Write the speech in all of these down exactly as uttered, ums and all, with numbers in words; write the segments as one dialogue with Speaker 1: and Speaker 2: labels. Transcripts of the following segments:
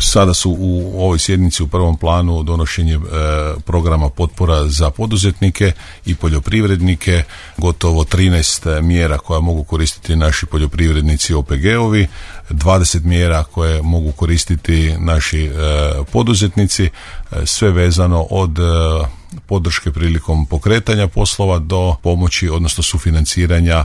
Speaker 1: Sada su u ovoj sjednici u prvom planu donošenje e, programa potpora za poduzetnike i poljoprivrednike, gotovo trinaest mjera koja mogu koristiti naši poljoprivrednici O P G-ovi, dvadeset mjera koje mogu koristiti naši e, poduzetnici, e, sve vezano od e, podrške prilikom pokretanja poslova do pomoći, odnosno sufinanciranja e,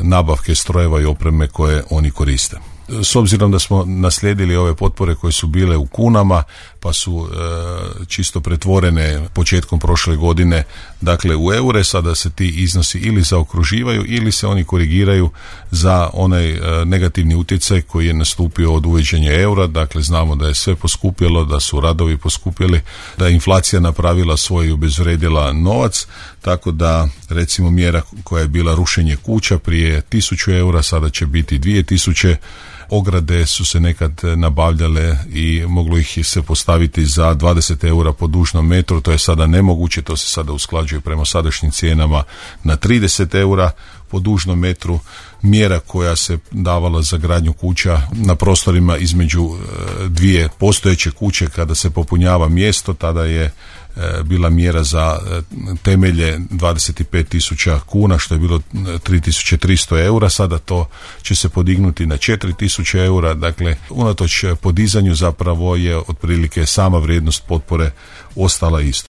Speaker 1: nabavke strojeva i opreme koje oni koriste. S obzirom da smo naslijedili ove potpore koje su bile u kunama, pa su e, čisto pretvorene početkom prošle godine, dakle u eure, sada se ti iznosi ili zaokruživaju ili se oni korigiraju za onaj e, negativni utjecaj koji je nastupio od uvođenja eura. Dakle, znamo da je sve poskupjelo, da su radovi poskupjeli, da je inflacija napravila svoj i obezvredila novac, tako da recimo mjera koja je bila rušenje kuća prije tisuću eura, sada će biti dvije tisuće. Ograde su se nekad nabavljale i moglo ih se postaviti za dvadeset eura po dužnom metru, to je sada nemoguće, to se sada usklađuje prema sadašnjim cijenama na trideset eura po dužnom metru. Mjera koja se davala za gradnju kuća na prostorima između dvije postojeće kuće, kada se popunjava mjesto, tada je bila mjera za temelje dvadeset pet tisuća kuna, što je bilo tri tisuće tristo eura, sada to će se podignuti na četiri tisuće eura. Dakle, unatoč podizanju zapravo je otprilike sama vrijednost potpore ostala isto.